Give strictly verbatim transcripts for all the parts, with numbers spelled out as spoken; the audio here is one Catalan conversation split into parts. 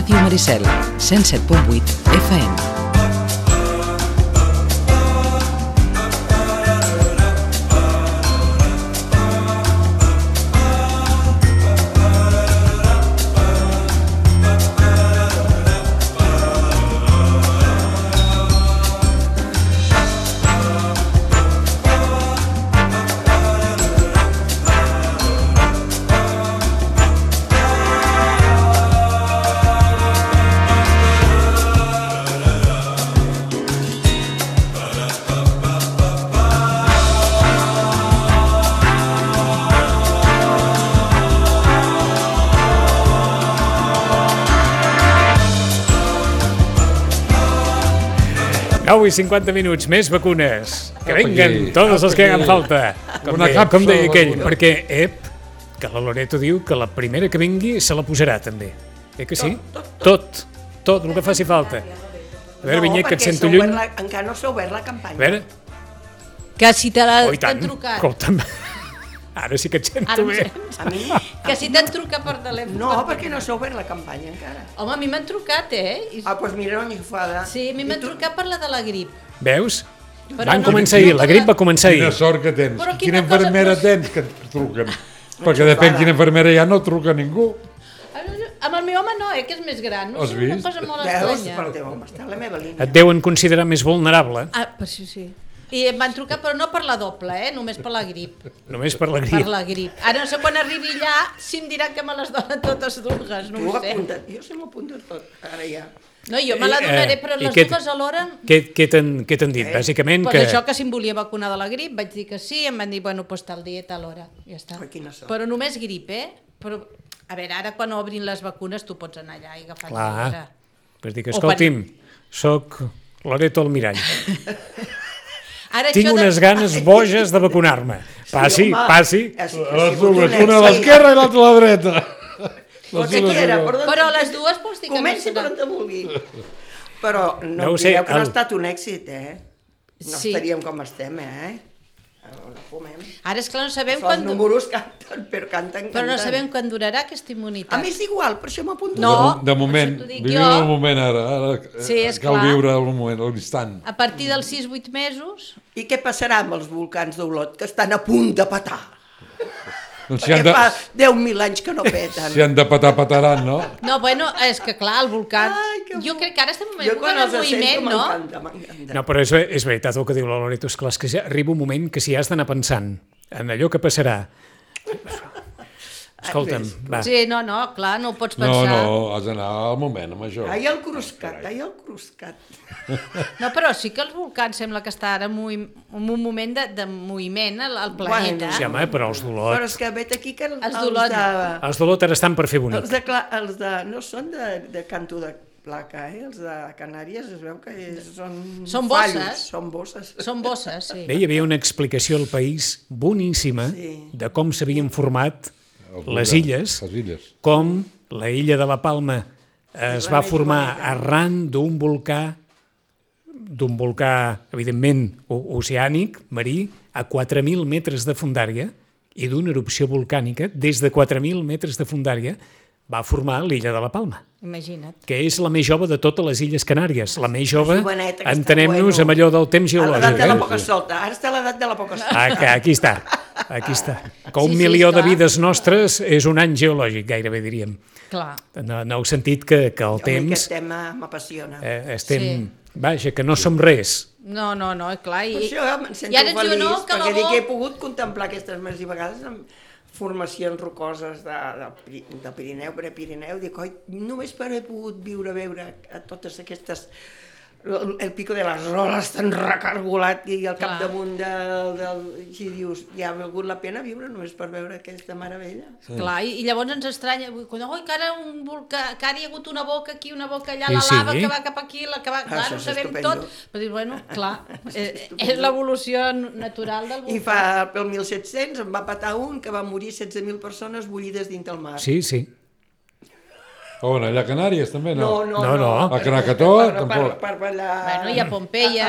Ràdio Maricel, cent set punt vuit F M. nou i cinquanta minuts, més vacunes. Que venguen totes les que hagan falta. Com deia, com deia aquell, perquè, ep, que la Loreto diu que la primera que vingui se la posarà també. Eh que sí? Tot, tot, el que faci falta. A veure, Vinyet, que et sento lluny. No, perquè encara no s'ha obert la campanya. A veure. Que si t'han trucat. Escolta'm, ara sí que et sento bé. A mi? Que si t'han trucat per telèfon. No, perquè no s'ha obert la campanya encara. Home, a mi m'han trucat, eh? Ah, doncs mira, no enxufada. Sí, a mi m'han trucat per la de la grip. Veus? Van començar ahir, la grip va començar ahir. Quina sort que tens. Quina infermera tens que et truquen? Perquè depèn quina infermera hi ha, no truca ningú. Amb el meu home no, eh, que és més gran. No sé, una cosa molt estranya. Veus? Per el teu home està a la meva línia. Et deuen considerar més vulnerable. Ah, per això sí. I em van trucar, però no per la doble, eh? Només per la grip. Només per la grip. Per la grip. Ara no sé quan arribi allà si em diran que me les donen totes dues, no ho sé. Jo se m'apunta tot, ara ja. No, jo me la donaré, però les dues alhora... Què t'han dit, bàsicament? Pues això, que si em volia vacunar de la grip, vaig dir que sí, em van dir, bueno, doncs tal dia, tal hora, ja està. Però només grip, eh? Però, a veure, ara quan obrin les vacunes tu pots anar allà i agafar la cosa. Clar, per dir que, escolti'm, soc Loreto Almirall. Tinc unes ganes boges de vacunar-me. Passi, passi. Una a l'esquerra i l'altra a la dreta. Però les dues pots dir que no comenci per on te vulgui. Però no em direu que no ha estat un èxit, eh? No estaríem com estem, eh? Ara, esclar, no sabem quan... Els números canten, però canten, canten. Però no sabem quan durarà aquesta immunitat. A mi és igual, per això m'apunto. No, de moment, vivim el moment ara. Cal viure el moment, l'instant. A partir dels sis vuit mesos... I què passarà amb els volcans d'Olot, que estan a punt de petar? Perquè fa deu mil anys que no peten. Si han de petar, petaran, no? No, bueno, és que clar, el volcà... Jo crec que ara estem en època de moviment, no? No, però és veritat el que diu la Loreto, és clar, és que arriba un moment que si has d'anar pensant en allò que passarà... Escolta'm, va. Sí, no, no, clar, no ho pots pensar. No, no, has d'anar al moment amb això. Ai, el cruscat, ai, el cruscat. No, però sí que els volcans sembla que està ara en un moment de moviment al planeta. Sí, home, però els d'Olot... Però és que vet aquí que els d'Olot... Els d'Olot ara estan per fer bonic. Els de... no són de canto de placa, eh? Els de Canàries es veu que són... Són bosses. Són bosses. Són bosses, sí. Bé, hi havia una explicació al País boníssima de com s'havien format les illes, com la illa de la Palma es va formar arran d'un volcà, d'un volcà, evidentment, oceànic, marí, a quatre mil metres de fondària, i d'una erupció volcànica, des de quatre mil metres de fondària, va formar l'illa de la Palma. Imagina't. Que és la més jove de totes les Illes Canàries. La més jove, entenem-nos amb allò del temps geològic. A l'edat de la poca solta, ara està a l'edat de la poca solta. Aquí està, aquí està. Que un milió de vides nostres és un any geològic, gairebé diríem. Clar. En el sentit que el temps... Aquest tema m'apassiona. Estem... Vaja, que no som res. No, no, no, clar. Per això em sento feliç, perquè dic que he pogut contemplar aquestes més i vegades amb formacions rocoses de, de, de Pirineu, Prepirineu, dic, oi, només per haver pogut viure, veure a totes aquestes, el, el pico de les Roles tan recargolat i al capdamunt del, del... I dius, ja ha valgut la pena viure només per veure aquesta meravella. Sí. Clar, i, i llavors ens estranya, oi, que ara un volcà, que ara hi ha hagut una boca aquí, una boca allà, la sí, lava sí. que va cap aquí, la que va... Clar, ho sabem estupendo. Tot, però dius, bueno, clar, és, és l'evolució natural del volcà. I fa, pel mil set-cents, em va patar un que va morir setze mil persones bullides dins del mar. Sí, sí. On, allà a Canàries també, no? No, no, no. A Krakató, tampoc. Per ballar... Bueno, i a Pompeia...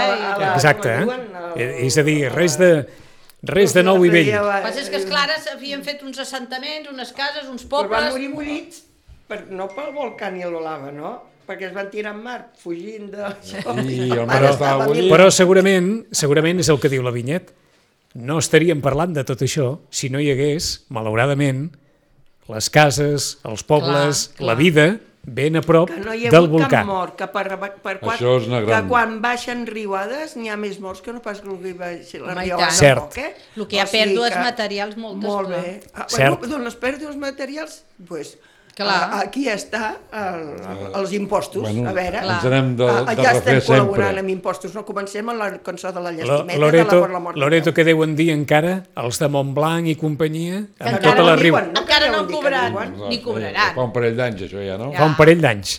Exacte, eh? És a dir, res de... Res de nou i vell. El que passa és que, esclar, havien fet uns assentaments, unes cases, uns pobles... Però van morir bullits. per, no pel volcà ni la lava, no? Perquè es van tirar en mar, fugint d'això. I el mar estava bullit. Però segurament, segurament és el que diu la Vinyet. No estaríem parlant de tot això si no hi hagués, malauradament, les cases, els pobles, clar, clar. la vida ben a prop del volcà. Que no hi ha hagut cap mort, que, per, per quan, Això és una gran... que quan baixen riuades n'hi ha més morts que no pas que el baixi la riuada. Cert. Eh? El que hi ha o sigui pèrdues que... materials moltes. Molt bé. Ah, Cert. Bueno, doncs les pèrdues materials, doncs... Pues, Clar. Aquí està el, els impostos, bueno, a veure. Ens anem de, de ja estem col·laborant sempre. amb impostos, no comencem amb la cançó de la llestimeta. Loreto, de la, per la mort Loreto que deuen dir encara, els de Montblanc i companyia, amb encara tota no la riu. diuen, no encara no han cobrat, No, ni cobraran. Fa un parell d'anys, això ja, no? Ja. Fa un parell d'anys.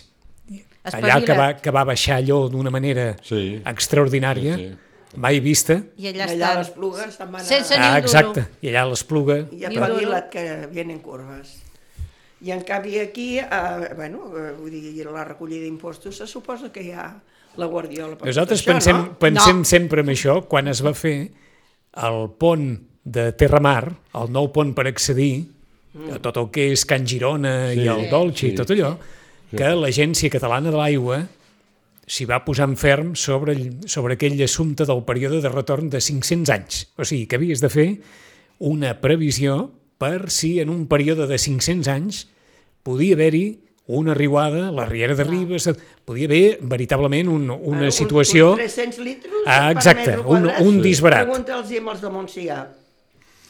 Espavila. Allà que va, que va baixar allò d'una manera Sí. extraordinària, Sí, sí. mai vista. I allà allà estan. les plugues te'n van Sense a... ni un Ah, duro. exacte, i allà l'Espluga. I a Ni un duro. Pavila't que vienen curves. I en canvi aquí, eh, bueno, eh, vull dir, la recollida d'impostos se suposa que hi ha la guardiola per Nosaltres tot això, pensem, no? pensem No. sempre en això, quan es va fer el pont de Terramar, el nou pont per accedir a tot el que és Can Girona Sí. i el Dolce Sí. i tot allò, que l'Agència Catalana de l'Aigua s'hi va posar en ferm sobre, el- sobre aquell assumpte del període de retorn de cinc-cents anys. O sigui, que havies de fer una previsió per si en un període de cinc-cents anys podia haver-hi una riuada, la Riera de Ribes, podia haver veritablement un, una Ara, situació... Uns, uns tres-cents litres Ah, per exacte, metre un, quadrat. un disbarat. Pregunta'ls amb els de Montsià.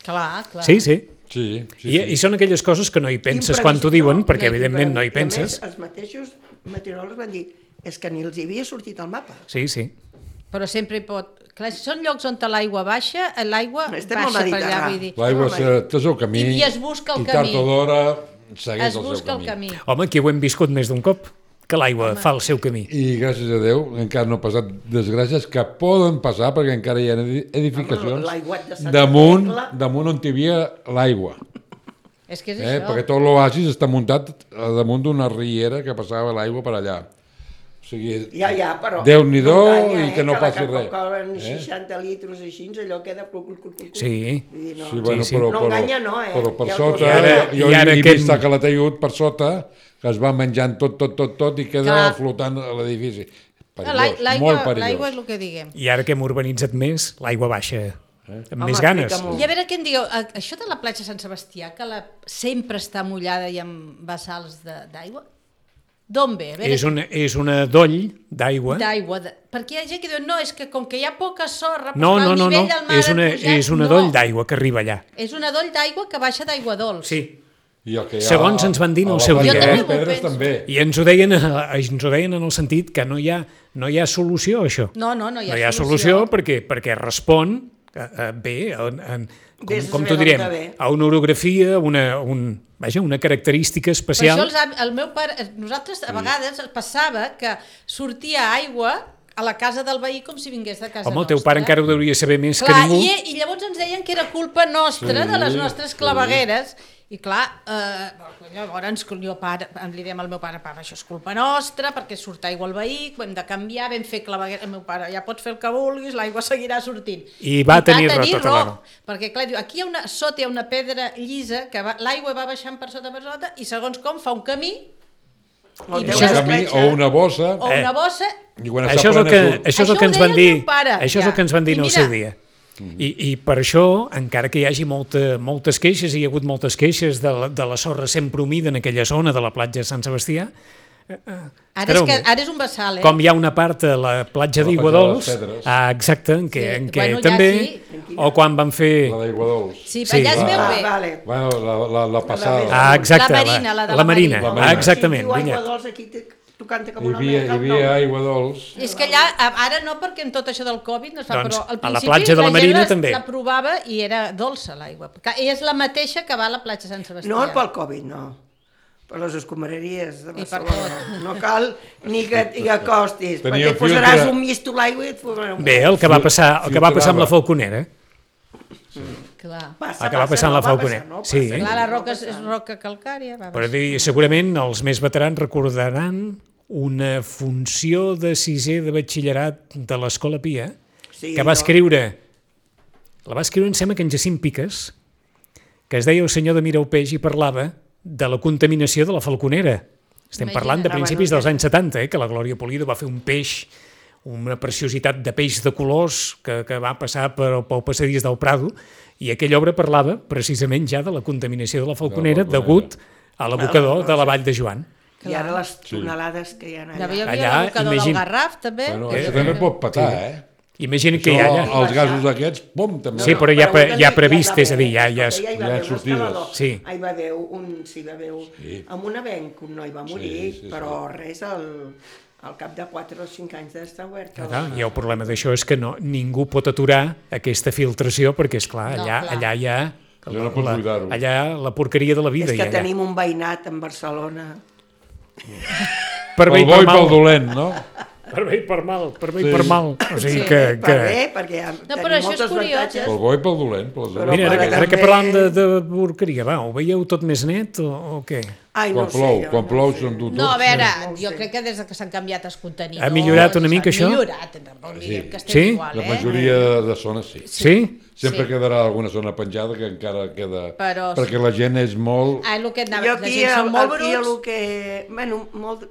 Clar, clar. Sí, sí. Sí, sí, I, sí. I són aquelles coses que no hi penses quan t'ho diuen, perquè evidentment no hi penses. I a més, els mateixos meteoròlegs van dir és que ni els hi havia sortit al mapa. Sí, sí. Però sempre hi pot... Clar, si són llocs on l'aigua baixa, l'aigua Estem al baixa per allà, Mediterrani. vull dir. L'aigua Home, té el seu camí I- i es busca el i tard camí. o d'hora segueix Es el seu busca el camí. camí. Home, aquí ho hem viscut més d'un cop, que l'aigua fa el seu camí. I gràcies a Déu encara no ha passat desgràcies que poden passar perquè encara hi ha edi- edificacions l'aiguat de Santa damunt, Tecla. damunt on hi havia l'aigua. És que és Eh? això. Perquè tot l'oasis està muntat a damunt d'una riera que passava l'aigua per allà. O sigui, Ja, ja, però... Déu-n'hi-do enganya, i que no la passi res. Coca-Cola en Eh? seixanta litres així, allò queda... Cul, cul, cul, cul. Sí. Vull dir, no. Sí, bueno, sí. Però, No però, enganya, no, eh? Però per Ja ho sota, veuràs. I ara- jo i ara he aquest- vist a Calataiud per sota, que es va menjant tot, tot, tot, tot i queda Clar. flotant a l'edifici. L'ai- Perillós, L'aigua molt perillós. l'aigua és el que diguem. I ara que hem urbanitzat més, l'aigua baixa amb Home, més ganes. explica-m'ho. I a veure què en dieu, a- això de la platja Sant Sebastià, que la, sempre està mullada i amb bassals de- d'aigua, d'on ve? A veure, És una, és una doll d'aigua. d'aigua. De... Perquè hi ha gent que diu, no, és que com que hi ha poca sorra, No, doncs no, el no, nivell no. del mar És ha una, pujat. és una No, doll d'aigua que arriba allà. És una doll d'aigua que baixa d'aigua dolç. Sí. I el que hi ha Segons ens van dir en a el la seu platja dia, de les eh? Jo també m'ho Pedres penso. també. I ens ho deien, eh, ens ho deien en el sentit que no hi ha, no hi ha solució a això. No, no, no hi ha, no hi ha solució, perquè, perquè respon eh, eh, bé, a, a, com, Vés a com saber t'ho d'on direm, que ve. a una orografia, una, un, vaja, una característica Per això especial. els, av- el meu pare, nosaltres a vegades passava que sortia aigua a la casa del veí com si vingués de casa Home, el nostra. teu pare encara ho deuria saber més Clar, que ningú. i, i llavors ens deien que era culpa nostra, Sí, de les nostres sí. clavegueres, i clar, eh, llavors jo pare, li diem al meu pare, pare, això és culpa nostra, perquè surt aigua al veí, ho hem de canviar, vam fer clavegueres, el meu pare, ja pots fer el que vulguis, l'aigua seguirà sortint. I va tenir raó, tota la raó. Perquè clar, diu, aquí hi ha una, sota hi ha una pedra llisa, que va- l'aigua va baixant per sota per sota, i segons com fa un camí, El I teu Un Això és- camí despatxa. o una bossa o Eh. una bossa, i quan està Això és, el plena que, surt. això és el Això que ho ens van deia el dir, meu pare, això és ja. el que ens van dir I en el mira. seu dia. I, I per això, encara que hi hagi molta, moltes queixes, hi ha hagut moltes queixes de la, de la sorra sempre humida en aquella zona de la platja de Sant Sebastià, ara és, Espereu que, un moment. ara és un vessal, eh? com hi ha una part a la platja A la d'Aigua platja de les Dols, Pedres. ah, exacte, en què, Sí, en què bueno, ja també, sí. o quan van fer... La d'aigua dolç. Sí, Sí. allà es veu Ah, bé. vale. Bueno, la, la, la passada. Ah, exacte, La Marina, la de la la Marina, Marina. La Marina. ah, exactament, Si diu aigua Vinyet. dolç, aquí te, tu canta com Hi una havia, hi mel, havia no? aigua dolç. És que allà, ara no, perquè en tot això del Covid no es fa, Doncs, però al a la principi platja de la gent Marina la, també. la provava i era dolça l'aigua. Que és la mateixa que va a la platja Sant Sebastià. No pel Covid, no. Per les escombraries de I per Barcelona. No cal ni que t'hi acostis, Tenia perquè posaràs filtre. un misto a l'aigua i et posaràs un... Bé, el que va passar, el que va passar amb la Filtrava. Falconera, Clar. Passa, el que va passa, passar amb no, la va Falconer. passar, no, Sí. passa, Clar, la no roca és, passa. és roca calcària. Va, però dir, segurament els més veterans recordaran una funció de sisè de batxillerat de l'Escola Pia, Sí, que va no. escriure, la va escriure, em sembla que en Jacint Piques, que es deia El senyor de Miraupeix i parlava de la contaminació de la Falconera. Estem parlant de principis dels anys setanta, eh, que la Glòria Pulido va fer un peix, una preciositat de peix de colors que, que va passar per, pel passadís del Prado, i aquella obra parlava precisament ja de la contaminació de la Falconera degut a l'abocador de la Vall de Joan. I ara les tonelades que hi ha allà. Hi havia l'abocador del Garraf, també. Bueno, això també pot petar, eh? Imagina't que hi ha allà. Els gasos aquests, pom, també. Sí, però ja, hi ha previst, és a dir, ja... ja hi va haver sortides. Sí. Hi va haver un... Sí, va haver un... Amb un avenc un noi va morir, però res, al cap de quatre o cinc anys d'estar obert. I el problema d'això és que no, ningú pot aturar aquesta filtració, perquè, esclar, allà, allà hi ha... Allà la porqueria de la vida. És que tenim un veïnat en Barcelona... Per bé i per mal. Pel dolent, no? Per bé i per mal, per bé i per mal. O sigui que... Per bé, perquè tenim moltes avantatges. Pel bo i pel dolent. Mira, ara que parlàvem de porqueria, va, ho veieu tot més net o què? Ai, no quan plou, quan plou se'n du tot. No, a veure, jo crec que des que s'han canviat els contenidors... Ha millorat una mica això? Ha millorat, tampoc diguem que estem igual, eh? La majoria de zones sí. Sí? Sempre quedarà alguna zona penjada que encara queda... Perquè la gent és molt... Ah, el que anava... Jo aquí, aquí el que... Bueno, molt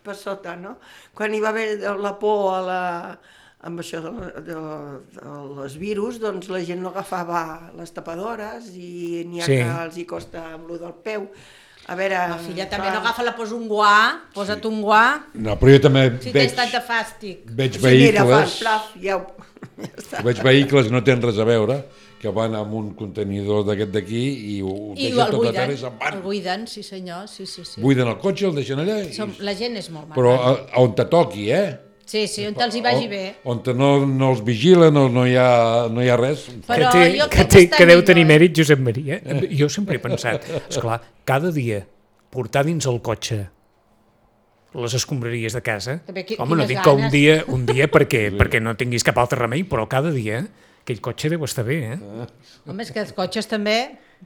per sota, no? Quan hi va haver la por a la... amb això dels virus, doncs la gent no agafava les tapadores i n'hi ha que els hi costa amb lo del peu. A veure... La filla també no agafa, la posa un guà, posa't un guà... No, però jo també veig... Si tens tanta fàstic. Veig vehicles... Mira, fan plaf, ja ho... Veig vehicles que no tenen res a veure, que van amb un contenidor d'aquest d'aquí i ho deixen tot a terra i se'n van. El buiden, sí senyor, sí, sí, sí. Buiden el cotxe, el deixen allà i... La gent és molt mala. Però on te toqui, eh? Sí, sí, on te'ls hi vagi bé. On no, no els vigilen, no, no, hi ha, no hi ha res. Però que, té, que, té, que deu tenir mèrit, Josep Maria. Jo sempre he pensat, esclar, cada dia portar dins el cotxe les escombraries de casa, qui, home, no dic que un dia, un dia perquè, sí. perquè no tinguis cap altre remei, però cada dia aquell cotxe deu estar bé, eh? Ah. Home, és que els cotxes també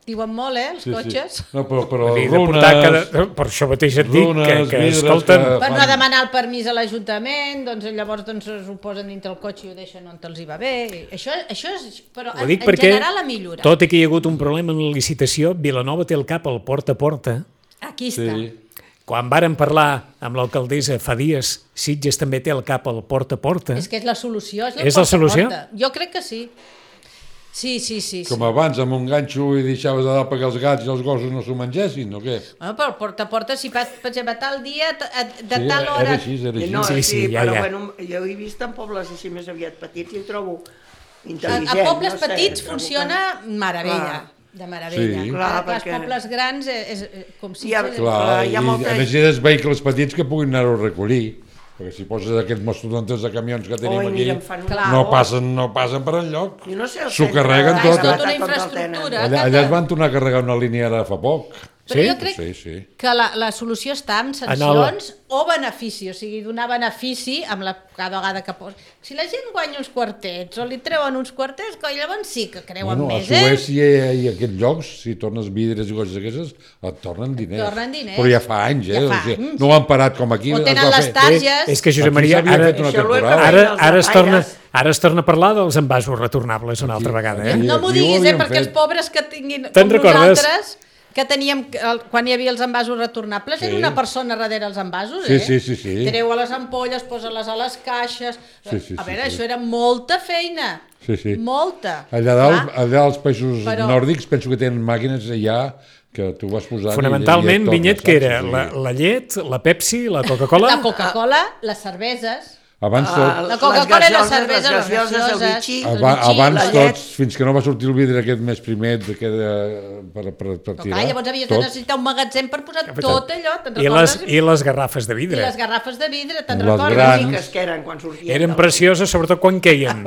diuen molt, eh, els sí, cotxes. Sí. No, però, però dir, runes... Cada... Per això mateix et dic runes, que, que escolten... Que per fan... no demanar el permís a l'Ajuntament, doncs llavors doncs, ho posen dintre el cotxe i ho deixen on te'ls hi va bé. Això, això és... Però en, en general ha millorat. Tot i que hi ha hagut un problema en la licitació, Vilanova té el cap al porta a porta. Aquí està. Sí. Quan vàrem parlar amb l'alcaldessa fa dies, Sitges també té el cap al porta a porta. És que és la solució, és, és la solució? Jo crec que sí. Sí, sí, sí. Com abans, amb un ganxo i deixaves de dalt perquè els gats i els gossos no s'ho mengessin, o què? Bueno, però el porta a porta, si per exemple, tal dia, de tal sí, hora... Era així, era així. No, sí, sí, sí, ja, però ja. Bueno, jo he vist en pobles així més aviat petits i ho trobo intel·ligent. A, a pobles no sé, petits funciona que... meravella. Ah. De meravella. Sí. Clar, perquè... Els pobles grans és, és com si... Ja, clar, clar, hi ha molta... i necessites vehicles petits que puguin anar-ho a recollir, perquè si poses aquests mastodontes de camions que tenim Oi, aquí, mira, no passen, no passen per enlloc. No sé, s'ho carreguen tot. És tota una infraestructura. Allà, allà es van tornar a carregar una línia ara fa poc. Però sí? jo crec sí, sí. que la, la solució està en sancions el... o benefici, o sigui, donar benefici amb la, cada vegada que posa. Si la gent guanya uns quartets o li treuen uns quartets, coi, llavors sí que creuen bueno, més, eh? A Suècia i, i aquests llocs, si tornes vidres i coses d'aquestes, et tornen diners. Tornen diners. Però ja fa anys, eh? Ja fa o sigui, anys. no ho han parat com aquí. O tenen les targes. És que Josep Maria, ara, ara, ara, es torna, ara es torna a parlar dels envasos retornables una altra vegada. Eh? No m'ho diguis, eh? Perquè els pobres que tinguin com nosaltres... que teníem, quan hi havia els envasos retornables, sí. Era una persona darrere els envasos, sí, eh? Sí, sí, sí. Treu a les ampolles, posa-les a les caixes... Sí, sí, a veure, sí, això sí. era molta feina, sí, sí. molta. Allà dalt, allà als països Però... nòrdics, penso que tenen màquines ja que tu vas posant... Fonamentalment, i, i Vinyet, que era la, la llet, la Pepsi, la Coca-Cola... La Coca-Cola, les cerveses... Abans tot... La Coca-Cola i la cervesa, les gaseoses, el bitxí, abans, abans tots, fins que no va sortir el vidre aquest més primer de, per, per, per tirar. Clar, llavors havies de necessitar un magatzem per posar tot allò, te'n I les, I les garrafes de vidre. I les garrafes de vidre, te'n les recordes? grans... que eren quan sortien. Eren precioses, sobretot quan queien.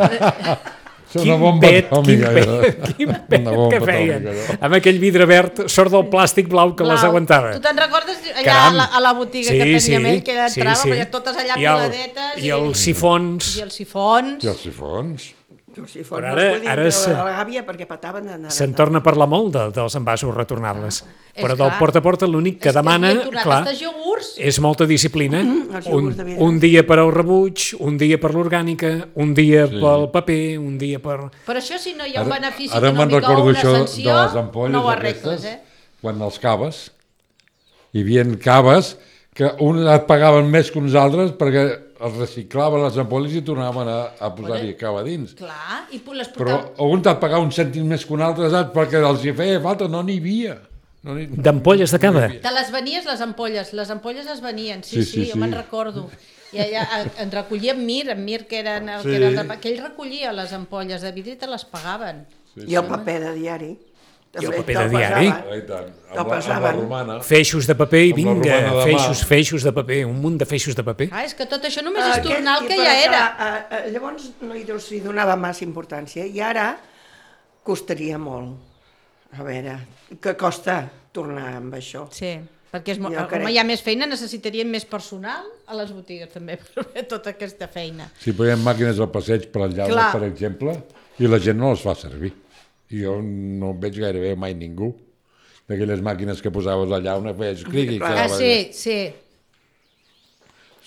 Quin pet, quin pet, quin pet que feien. Amb aquell vidre verd, sort del plàstic blau que blau. Les aguantava. Tu te'n recordes allà a la, a la botiga sí, que teníem ell, que entrava, sí, sí. Totes allà coladetes. I, i els sifons. I els sifons. I els sifons. Si fos, ara, no ara se... la gàbia perquè petaven d'anar. Se'n torna a parlar molt de, dels envasos retornables. Ah, però del porta a porta l'únic que demana, clar, és molta disciplina. Mm, un, un dia per al rebuig, un dia per l'orgànica, un dia sí. pel paper, un dia per... Però això si no hi ha un benefici ara, econòmic o una sanció, de les ampolles no ho arregles, aquestes, eh? Quan els caves, hi havia caves que uns et pagaven més que uns altres perquè els reciclaven les ampolles i tornaven a, a posar-hi cava dins. Clar, i les portaven... Però un et pagava un cèntim més que un altre, saps? Perquè els hi feia falta, no n'hi havia. No ni... D'ampolles de cava? Te les venies, les ampolles, les ampolles es venien, sí, sí, sí, sí jo sí. me'n recordo. I allà en recollia en Mir, en Mir que era el sí. que era el, que ell recollia les ampolles de vidre i te les pagaven. Sí, sí. I el paper de diari. I el paper de diari. Te'l passaven. Feixos de paper i vinga, feixos, feixos de paper, un munt de feixos de paper. Ah, és que tot això només és tornar el que ja era. Llavors no hi s'hi donava massa importància i ara costaria molt. A veure, què costa tornar amb això? Sí, perquè és, com hi ha més feina necessitarien més personal a les botigues també per fer tota aquesta feina. Si posem màquines al passeig per enllaure, per exemple, i la gent no les fa servir. I jo no veig gairebé mai ningú d'aquelles màquines que posaves allà una feies clic i ah, sí, sí.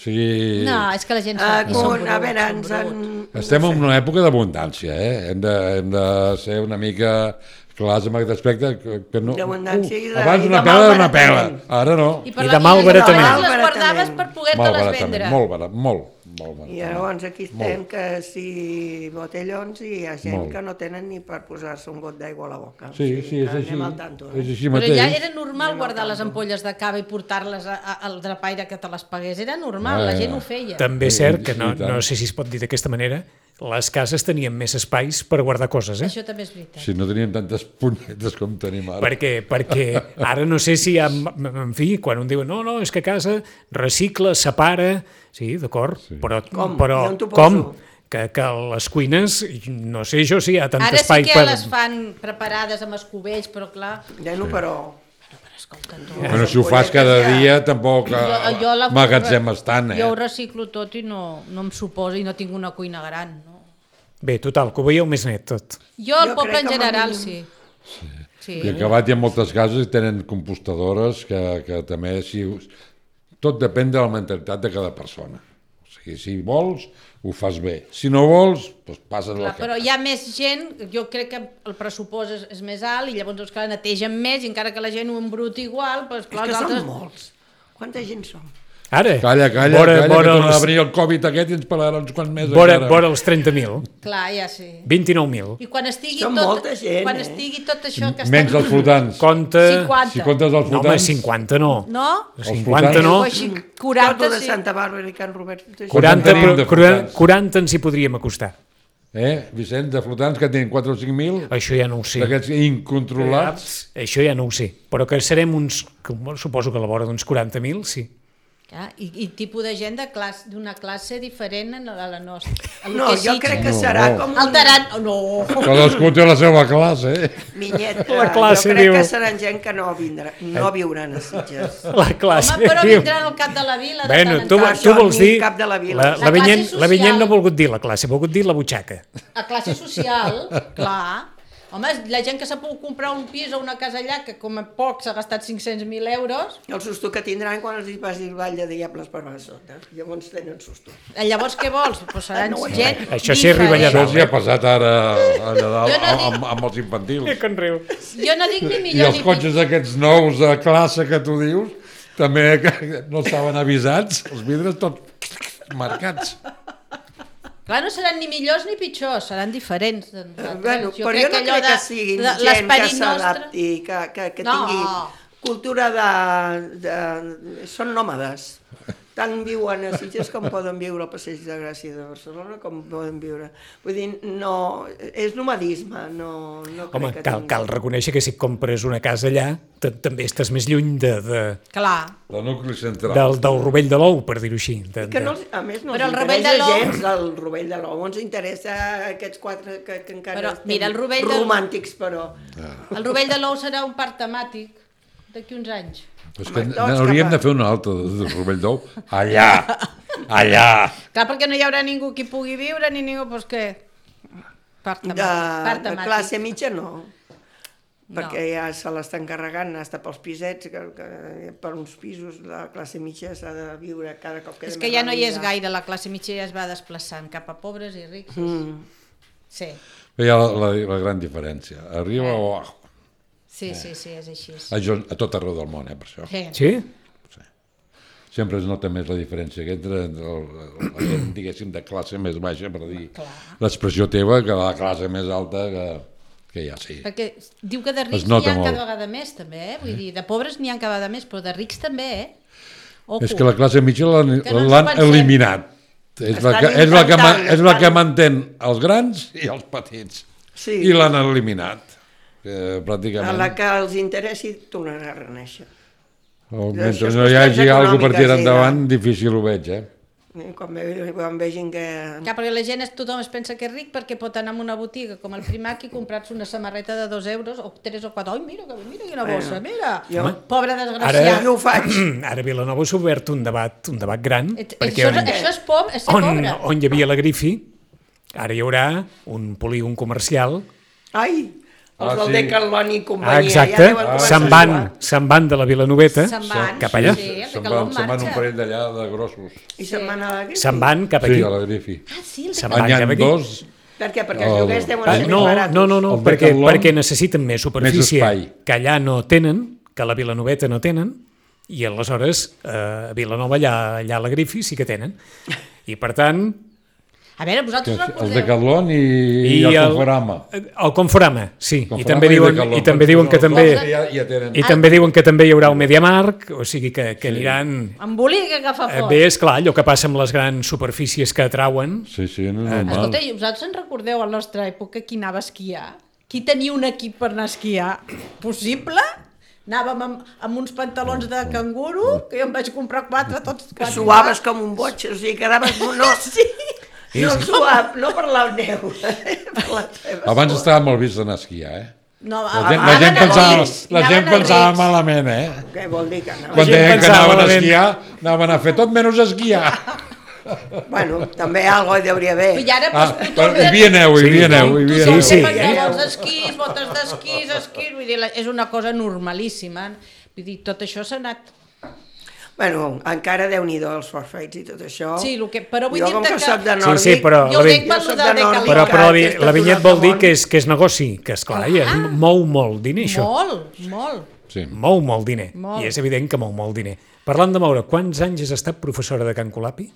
Sí. No, és que la gent uh, com, a veure, ens en... Estem en una època d'abundància, eh? Hem de, hem de ser una mica clars amb aquest aspecte que, que no... D'abundància uh, i de, abans una pela era una pela, ara no. I, I de malbaratament. Les guardaves per poder-te-les vendre. Molt barat, molt. I llavors aquí estem que si botellons i hi ha gent que no tenen ni per posar-se un got d'aigua a la boca. Sí, sí, és així. És així mateix. Però ja era normal guardar les ampolles de cava i portar-les al drapaire que te les pagués. Era normal, la gent ho feia. També és cert que no, no sé si es pot dir d'aquesta manera, les cases tenien més espais per guardar coses, eh? Això també és veritat. Si no teníem tantes punyetes com tenim ara. Perquè, perquè ara no sé si hi ha... En fi, quan un diu, no, no, és que a casa recicla, separa... Sí, d'acord, sí. però... Com? Però, com? Que, que les cuines, no sé jo si hi ha tant ara espai per... Ara sí que per... les fan preparades amb escobells, però clar... Ja no, però... Escolta, tu... Bueno, si ho fas cada dia, tampoc magatzemes tant, eh? Jo ho reciclo tot i no, no em suposa, i no tinc una cuina gran, no? Bé, total, que ho veieu més net, tot. Jo, el poble en general, sí. Sí. Sí. I acabat hi ha moltes cases i tenen compostadores que, que també... Si, tot depèn de la mentalitat de cada persona. O sigui, si vols, ho fas bé. Si no vols, doncs passes la que... Però hi ha més gent, jo crec que el pressupost és, és més alt i llavors, clar, netegen més i encara que la gent ho embruti igual... Doncs, clar, és que altres... són molts. Quanta gent som? Ara? Calla, calla, vora, calla, vora que torna els... a venir el Covid aquest i ens parlarà uns quants més. Vora, vora els trenta mil. Clar, ja sí. vint-i-nou mil. I quan estigui, Som tot, molta gent, quan eh? estigui tot això que menys està... els flotants. Compte... cinquanta. Si comptes els flotants... No, home, cinquanta no. No? cinquanta no. quaranta, de Santa Bàrbara i Can Robert. quaranta, quaranta ens hi podríem acostar. Eh, Vicent, de flotants que tenen quatre o cinc mil... Això ja no ho sé. D'aquests incontrolats... Això ja no ho sé. Però que serem uns... Suposo que a la vora d'uns quaranta mil, sí. Ah, i, i tipus de gent d'una classe diferent a la nostra. No, jo crec que serà no. com... Un... Alterant... No! Cadascú té la seva classe, eh? Minyet, la classe, jo crec diu... que seran gent que no vindrà, no viuran a Sitges. La classe, home, però diu... vindran al cap de la vila. Bueno, de tu, tu vols dir... Cap de la vila. La, la, la, Vinyent, la Vinyent no ha volgut dir la classe, ha volgut dir la butxaca. La classe social, clar... Home, la gent que s'ha pogut comprar un pis o una casa allà, que com a poc s'ha gastat cinc-cents mil euros... El susto que tindran quan els hi passi el ball de diables per a sota. Llavors tenen susto. Llavors què vols? Pues seran no, gent no, això sí arriba allà dalt. Això ja ha passat ara allà dalt no dic... amb, amb els infantils. Que conriu. Jo no dic ni millor I els cotxes aquests nous de classe que tu dius, també no estaven avisats, els vidres tots marcats. Clar, no seran ni millors ni pitjors, seran diferents. Bueno, jo però jo no crec que, que siguin de, gent que s'adapti, que, que, que no. tingui cultura de, de... Són nòmades. Tant viuen a Sitges com poden viure al Passeig de Gràcia de Barcelona, com poden viure. Vull dir, no... És nomadisme, no, no crec Home, que cal, tingui... cal reconèixer que si compres una casa allà, també estàs més lluny de... de... Clar. Del nucli central. Del, del rovell de l'ou, per dir-ho així. De, que no, a més, no però ens interessa gens el rovell de l'ou. Ens interessa aquests quatre que, que encara però, estem mira, el rovell romàntics, però... El rovell de l'ou serà un parc temàtic d'aquí uns anys. És que hauríem de fer una altra del rovell d'ou. Allà, allà. Clar, perquè no hi haurà ningú que pugui viure, ni ningú, doncs què? Part temàtic. De, de classe mitja no, perquè no. Ja se l'estan carregant, hasta pels pisets, que, que per uns pisos la classe mitja s'ha de viure cada cop que... És que ja no hi és gaire, la classe mitja ja es va desplaçant cap a pobres i rics. Mm. Sí. Hi ha la, la, la gran diferència, arriba eh. o abajo. Sí, sí, sí, és així. A, a tot arreu del món, eh, per això. Sí? Sí? sempre es nota més la diferència entre la gent, diguéssim, de classe més baixa, per dir l'expressió teva, que la classe més alta que, que ja sí. Perquè diu que de rics n'hi ha cada vegada més, també, eh? Vull dir, de pobres n'hi ha cada vegada més, però de rics també, eh? Ojo. És que la classe mitja l'han no eliminat. És la, que, és, la que, és la que mantén els grans i els petits. Sí. I l'han eliminat. Que, pràcticament... A la que els interessi tornarà a reneixer. O, mentre no hi hagi alguna cosa per tirar endavant, difícil ho veig, eh? Quan, ve, quan vegin que... Ja, perquè la gent, es, tothom es pensa que és ric perquè pot anar a una botiga com el Primark i comprar-se una samarreta de dos euros o tres o quatre. Ai, mira, mira quina bossa, bueno, mira. Jo... Pobre desgraciat. Ara, jo ho faig. Ara Vilanova s'ha obert un debat, un debat gran. Et, perquè això, on, això és, pobre, és ser on, pobre. On hi havia la Grifi, ara hi haurà un polígon comercial. Ai! Els ah, del sí. Decathlon i companyia. Ah, exacte, ja se'n van, se'n van de la Vilanoveta van, cap allà. Sí, sí, se'n van, se van un parell d'allà de grossos. I se'n van a la Grifi? Se'n van cap aquí. Sí, a la Grifi. Ah, sí, el se'n van cap aquí. Dos... Per què? Perquè els lloguers deuen ser no, més baratos. No, no, no, perquè, perquè necessiten més superfície més que allà no tenen, que a la Vilanoveta no tenen, i aleshores eh, a Vilanova allà, allà a la Grifi sí que tenen. I per tant... A veure, vosaltres recordeu... El Decathlon i, i el Conforama. El, el Conforama, sí. Conforama I també diuen, i, i també diuen que també ja, ja tenen. i també diuen que també hi haurà un MediaMarkt, o sigui que, que sí. aniran... Embolica que fa fort. Bé, és clar, allò que passa amb les grans superfícies que atrauen. Sí, sí, no és normal. Escolta, i vosaltres en recordeu a la nostra època qui anava a esquiar? Qui tenia un equip per anar a esquiar? Possible? Anàvem amb, amb uns pantalons de canguro, que jo em vaig comprar quatre, tots quatre. Que suaves com un boig, o sigui, quedaves... No, sí. No suave, no per la neu. Per la Abans estava molt vist d'anar a esquiar, eh? No, la gent, la gent pensava, la gent pensava malament, eh? Què vol dir que anava? Quan deien que anaven a esquiar, anaven a fer tot menys a esquiar. Bueno, també algo hi hauria haver. I ara, ah, però hi havia neu, hi havia neu. Tu sí, sí. pantalons d'esquís, botes d'esquís, esquís, vull dir, és una cosa normalíssima. Vull dir, tot això s'ha anat... Bueno, encara Déu-n'hi-do els forfeits i tot això. Sí, el que, però vull jo, dir-te que... que... soc de nòrdic, sí, sí, però jo ho dic per lo de Decathlon. Però, però la, la vinyet vol dir que és, que és negoci, que esclar, ja es mou molt diner, això. Molt, molt. Sí. Mou molt diner, molt. I és evident que mou molt diner. Parlant de moure, quants anys has estat professora de Can Colapi?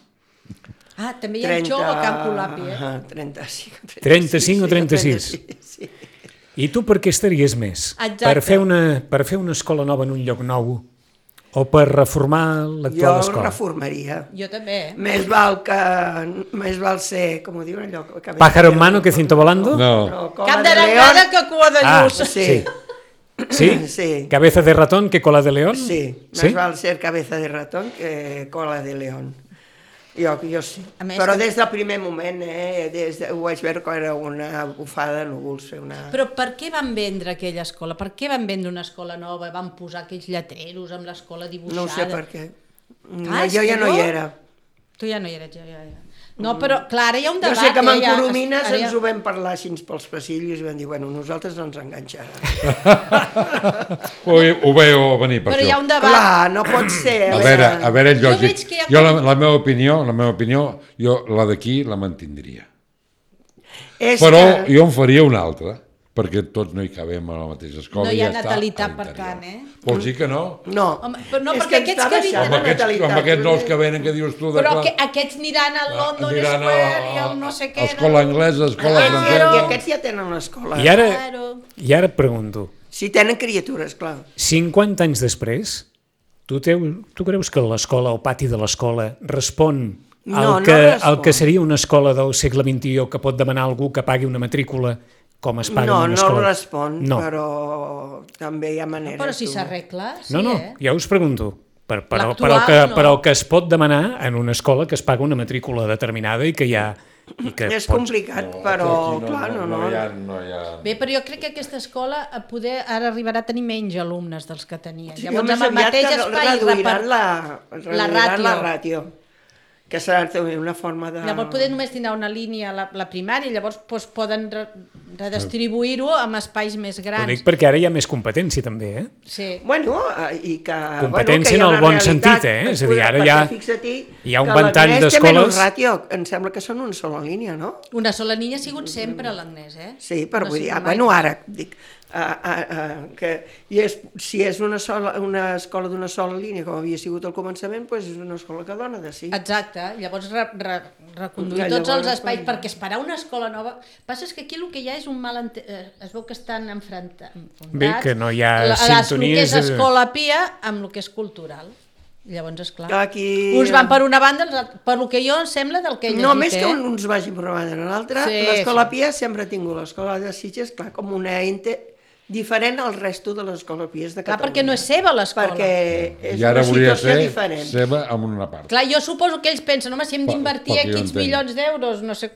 Ah, també hi ha trenta... el xou a Can Colapi, eh? trenta-cinc, trenta-cinc o trenta-sis? Sí. I tu per què estaries més? Exacte. Per fer una, per fer una escola nova en un lloc nou? O per reformar l'actual escola? Jo reformaria. Jo també, eh? Més val que... Més val ser, com ho diuen allò... Pájaro en mano que cinto volando? No. no Cap d'arengada que cua de lluç. Ah, sí. Sí? Sí. ¿Cabeza de ratón que cola de león? Sí, més ¿Sí? val ser cabeza de ratón que cola de león. Jo, jo sí. Més, però des del primer moment, eh, des de, ho vaig veure que era una bufada de núvols. Una... Però per què van vendre aquella escola? Per què van vendre una escola nova? Van posar aquells lletreros amb l'escola dibuixada? No ho sé per què. Ah, jo ja no hi era. Tu ja no hi eres, jo ja era. No, però clar, ara hi ha un debat. Jo sé que amb en ja, Coromines ja... ens ho vam parlar així pels passillos i vam dir, bueno, nosaltres no ens enganxarà. ho, ho veieu venir per però això. Però hi ha un debat. Clar, no pot ser. A veure, a veure, jo, jo, ha... jo la, la meva opinió, la meva opinió, jo la d'aquí la mantindria. És però que... jo en faria una altra, perquè tots no hi cabem a la mateixa escola. No hi ha ja natalitat per tant, eh? Vols dir que no? No. Home, però no, és perquè que aquests que vinen... Amb aquests, amb aquests nous que venen, que dius tu... De però clar, aquests aniran al London aniran Square a, i al no sé què... Escola anglesa, escola ah, francesa... I aquests ja tenen una escola. I ara, i ara et pregunto... Si tenen criatures, clar. cinquanta anys després, tu, teu, tu creus que l'escola, el pati de l'escola, respon al no, que, no respon. al que seria una escola del segle vint-i-u que pot demanar algú que pagui una matrícula com es paga no, en una no escola? No, no respon, no. Però també hi ha maneres. Però si s'arregla, sí, no, no, eh? ja us pregunto. Per, per, el, per, el que, no. per el que es pot demanar en una escola que es paga una matrícula determinada i que hi ha... I que és pots... complicat, no, però no, clar, no, no. No, hi ha, no hi ha... Bé, però jo crec que aquesta escola a poder ara arribarà a tenir menys alumnes dels que tenia. Sí, llavors, amb el mateix espai... Reduiran la, reduiran la ràtio. La ràtio. Que serà una forma de... Llavors poder només tindrà una línia a la, la primària, llavors doncs, poden re, redistribuir-ho amb espais més grans. Ho dic perquè ara hi ha més competència també, eh? Sí. Bueno, i que... Competència bueno, que en el bon sentit, eh? És a dir, ara hi ha, hi ha un ventall d'escoles... Ràtio, em sembla que són una sola línia, no? Una sola línia ha sigut sempre l'Agnès, eh? Sí, però no vull dir, mai... bueno, ara, dic, A, a, a, que, i és, si és una, sola, una escola d'una sola línia, com havia sigut al començament, doncs és una escola que dona de sí. Exacte, llavors re, re, reconduir ja, tots els espais, quan... perquè esperar una escola nova... Passa és que aquí el que hi ha és un mal... Ente... Es veu que estan enfrontats. Bé, que no hi ha la, sintonies... El que és escola pia amb el que és cultural. Llavors, esclar, aquí... uns van per una banda, per el que jo em sembla del que he llegit. No, més eh? que uns vagin per una banda o l'altra, sí, l'escola sí. Pia sempre ha tingut l'escola de Sitges, clar, com una ente diferent al resto de les escoles pies de Catalunya. Clar, perquè no és seva l'escola. Perquè és una situació diferent. Seva amb una part. Clar, jo suposo que ells pensen, home, si hem d'invertir quinze milions d'euros, no sé,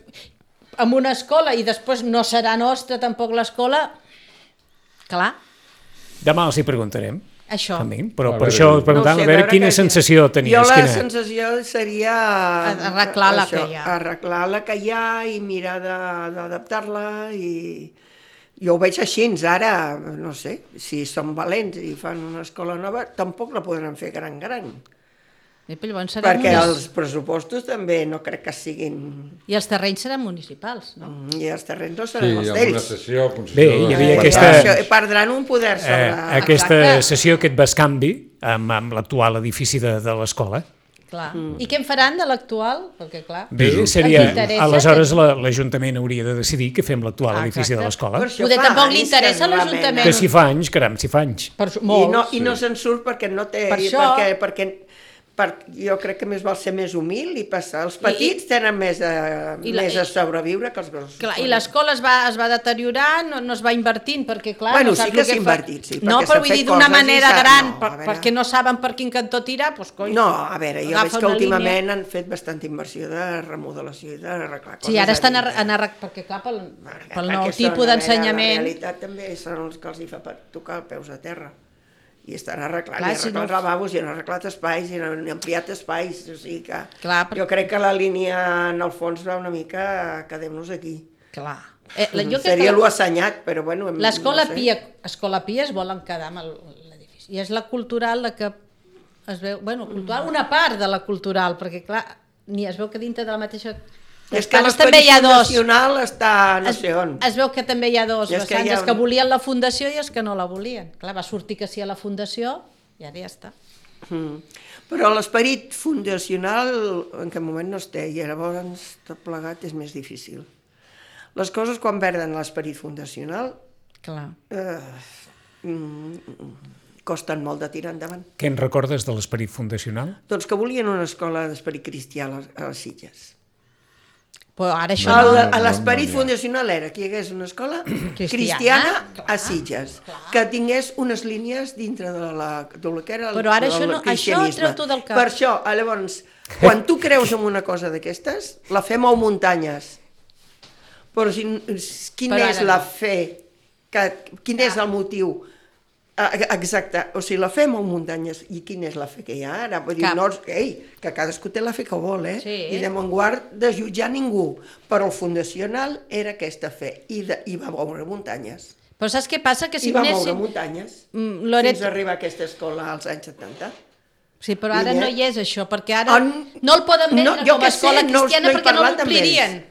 en una escola i després no serà nostra tampoc l'escola, clar. Demà els hi preguntarem. Això. També, però per això us preguntant no sé, a veure quina sensació tenies. Jo la quina... sensació seria... Arreglar la això, que hi ha. Arreglar la que hi ha i mirar d'adaptar-la i... Jo ho veig així, ara, no sé, si són valents i fan una escola nova, tampoc la podran fer gran-gran. Perquè els pressupostos també no crec que siguin... I els terrenys seran municipals, no? I els terrenys no seran els d'ells. Sí, amb una sessió... Bé, hi havia aquesta... Perdran un poder sobre... Eh, aquesta sessió, aquest bescanvi amb, amb l'actual edifici de, de l'escola. Clar. Mm. I què en faran de l'actual? Perquè, clar... Bé, seria... Aleshores l'Ajuntament hauria de decidir què fem l'actual ah, edifici de l'escola. Poder tampoc li interessa a l'Ajuntament. Que si fa anys, caram, si fa anys. Per, I no, i no se'n surt perquè no té... Per això... Perquè, perquè, per, jo crec que més val ser més humil i passar. Els petits I, tenen més a, i la, més a sobreviure que els grossos. Clar, i l'escola es, va, es va deteriorant, no, no es va invertint, perquè clar... Bueno, no sí que s'ha invertit, sí. No, però vull dir d'una manera gran, no, per, perquè no saben per quin cantó tirar, doncs coi... No, a veure, jo veig que últimament línia. Han fet bastanta inversió de remodelació i d'arreglar coses. Sí, ara estan en arreglar, perquè clar, pel, pel nou tipus d'ensenyament... La realitat també són els que els hi fa per tocar els peus a terra. I estan arreglant, clar, i han arreglat si no... lavabos, i han arreglat espais, i han ampliat espais, o sigui que clar, però... jo crec que la línia en el fons va una mica a quedem-nos aquí. Clar. Eh, jo Seria que... l'assenyat, però bueno... L'escola no sé. Pia, Escola Pia es volen quedar amb l'edifici, i és la cultural la que es veu, bueno, cultural, una part de la cultural, perquè clar, ni es veu que dintre de la mateixa... És que l'esperit fundacional està no sé on. Es veu que també hi ha dos vessants, que ha... els que volien la fundació i els que no la volien. Clar, va sortir que sí a la fundació i ara ja està. Mm. Però l'esperit fundacional en aquest moment no es té i llavors tot plegat és més difícil. Les coses quan perden l'esperit fundacional clar. Eh, mm, costen molt de tirar endavant. Què en recordes de l'esperit fundacional? Doncs que volien una escola d'esperit cristià a les Sitges. Però ara això no... no... L'esperit fundacional era que hi hagués una escola cristiana, cristiana a Sitges, clar. Que tingués unes línies dintre de la, de la que era el, però ara això, no, això treu tu del cap. Per això, llavors, quan tu creus en una cosa d'aquestes, la fe mou muntanyes. Però si, quin però és la no. fe? Que, quin ah. és el motiu? Exacte, o sigui, la fe mou muntanyes. I quina és la fe que hi ha ara? Vull dir, no, ei, que cadascú té la fe que vol, eh? Sí. I de guard de jutjar ningú. Però el fundacional era aquesta fe, i, de, i va moure muntanyes. Però saps què passa? Que si I va anessin... moure muntanyes, mm, Loret... fins a arribar a aquesta escola als anys setanta. Sí, però ara no hi és això, perquè ara on... no el poden vendre no, com a escola sé, cristiana no, no perquè no l'omplirien.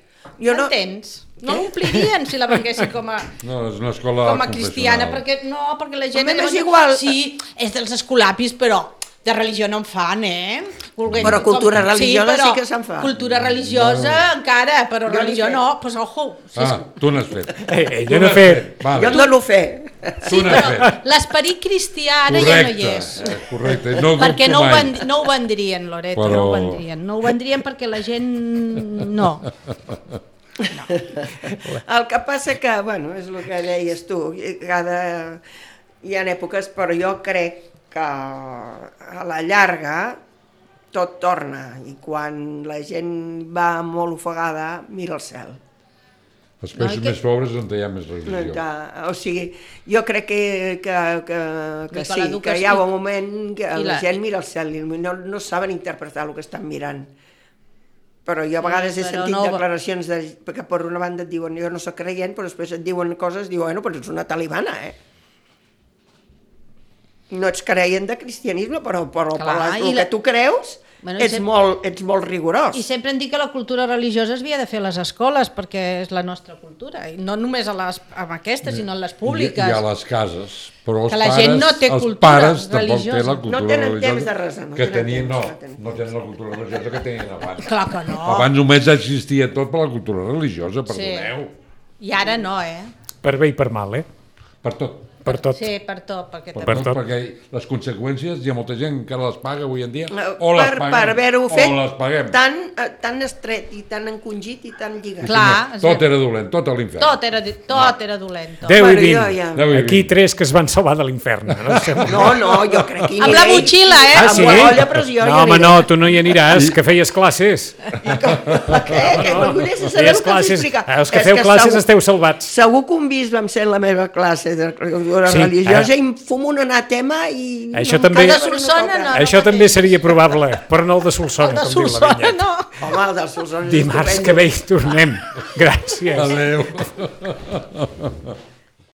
M'entens? No... No l'omplirien si la venguessin com a, no, és una escola com a cristiana, perquè, no, perquè la gent... Llavors, és igual. Sí, és dels escolapis, però de religió no en fan, eh? Volguem, però cultura com, religiosa sí, sí que se'n fa. Cultura religiosa no. encara, però jo religió no, doncs pues, ojo. Sí, ah, tu n'has fet. Eh, eh, jo n'he fet. Vale. Jo no l'ho fe. Sí, però l'esperit cristià ara correcte, ja no hi és. Eh, correcte, no perquè no ho, vend, no ho vendrien, Loreto, però... no ho vendrien. No ho vendrien perquè la gent no. No. El que passa que, bueno, és el que deies tu, cada... hi ha èpoques, però jo crec que a la llarga tot torna i quan la gent va molt ofegada mira el cel. Els països no, que... més pobres on hi ha més religió. Que, o sigui, jo crec que, que, que, que sí, que hi ha un moment que la... la gent mira el cel i no, no saben interpretar el que estan mirant. Però jo a vegades he sentit no... declaracions de, que per una banda et diuen jo no soc creient, però després et diuen coses, diuen, bueno, però ets una talibana, eh? No ets creient de cristianisme, però, però, Clar, però el que la... tu creus bueno, ets, sempre... molt, ets molt rigorós. I sempre em dic que la cultura religiosa es havia de fer a les escoles, perquè és la nostra cultura, i no només a les, amb aquestes, sinó en les públiques. I, i a les cases. Però els que la pares, gent no té els cultura pares religiosa. Tampoc té la cultura no tenen religiosa temps de resar. No que tenen tenien, temps, no, no tenen. no tenen la cultura religiosa que tenien abans. Clar que no. Abans només existia tot per la cultura religiosa, perdoneu. Sí. I ara no, eh? Per bé i per mal, eh? Per tot. Per tot. Sí, per tot. Perquè, per també... tot, perquè les conseqüències hi ha molta gent que les paga avui en dia, o per, les paguem, per haver-ho fet o les paguem. Tan, tan estret i tan encongit i tan lligat. Clar, tot era dolent, tot a l'infern. Tot era, tot era dolent. Tot. deu i vint. Ja... Aquí tres que es van salvar de l'infern. No, no, no, jo crec que... Amb la motxilla, eh? Ah, sí? Amb la olla pressió. No, home, no, tu no hi aniràs, que feies classes. I com, què? Que m'agradaria saber el que us explica. Els que feu classes esteu salvats. Segur que un bisbe em sent la meva classe de religiosa i em fumo un anatema i... Això també, el de Solsona no. Això també seria probable, però no el de Solsona. El de Solsona no. Home, el de Solsona és Dimarts que ve hi tornem. Gràcies. Adéu.